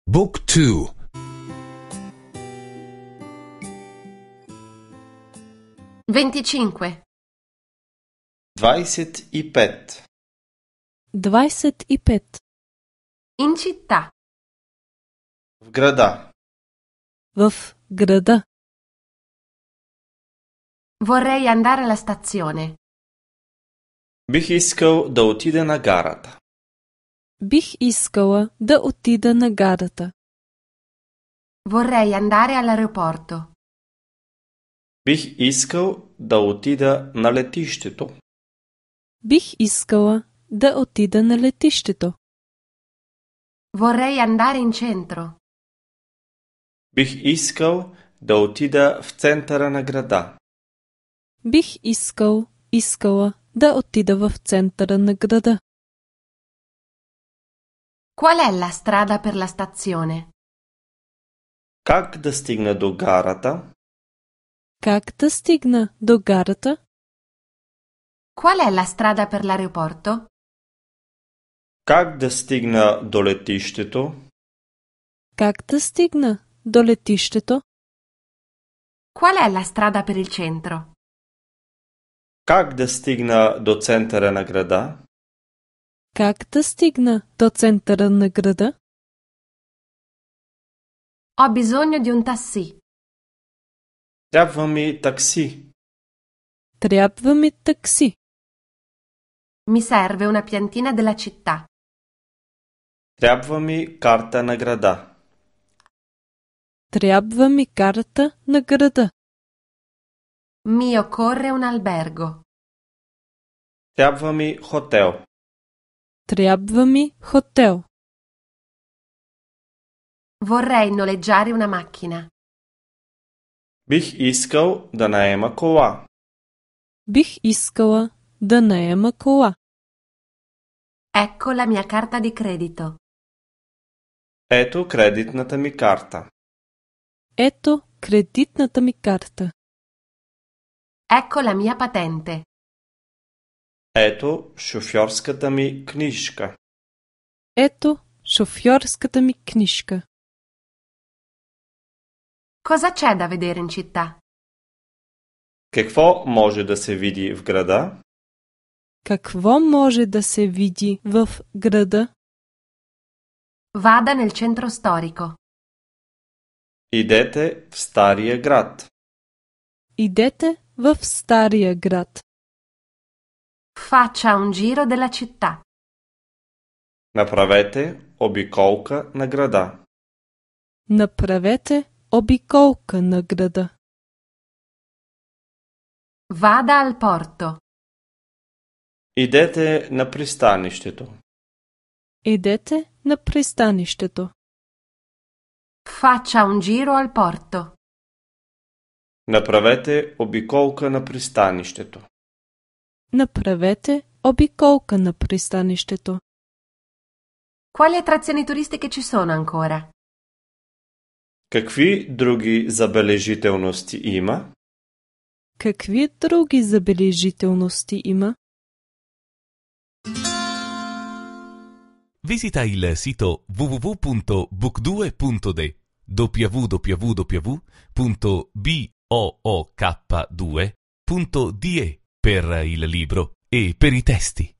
Book 2. 25. 25. 25. In città. В града. В града. Vorrei andare alla stazione. Бих искал да отида на гарата. Бих искала да отида на гарата. Vorrei andare all'aeroporto. Бих искал да отида на летището. Бих искала да отида на летището. Vorrei andare in centro. Бих искал да отида в центъра на града. Бих искала да отида в центъра на града. Qual è la strada per la stazione? Как да стигна до гарата? Как да стигна до гарата? Qual è la strada per l'aeroporto? Как да стигна до летището? Как да стигна до летището? Qual è la strada per il centro? Как да стигна до центъра на града? Как да стигна до центъра на града? Ho bisogno di un taxi. Трябва ми такси. Трябва ми такси. Mi serve una piantina della città. Трябва ми карта на града. Трябва ми карта на града. Mi occorre un albergo. Трябва ми хотел. Трябва ми хотел. Vorrei noleggiare una macchina. Бих искал да наема кола. Бих искала да наема кола. Ecco la mia carta di credito. Ето кредитната ми карта. Ето кредитната ми карта. Ecco la mia patente. Ето шофьорската ми книжка. Ето шофьорската ми книжка. Cosa c'è da vedere in città? Какво може да се види в града? Какво може да се види в града? Vada nel centro storico. Идете в Стария град. Идете в Стария град. Faccia un giro della città. Направете обиколка на града. Направете обиколка на града. Vada al porto. Идете на пристанището. Идете на пристанището. Faccia un giro al porto. Направете обиколка на пристанището. Направете обиколка на пристанището. Quali attrazioni turistiche ci sono ancora? Какви други забележителности има? Какви други забележителности има? Visita il sito www.book2.de www.book2.de per il libro e per i testi.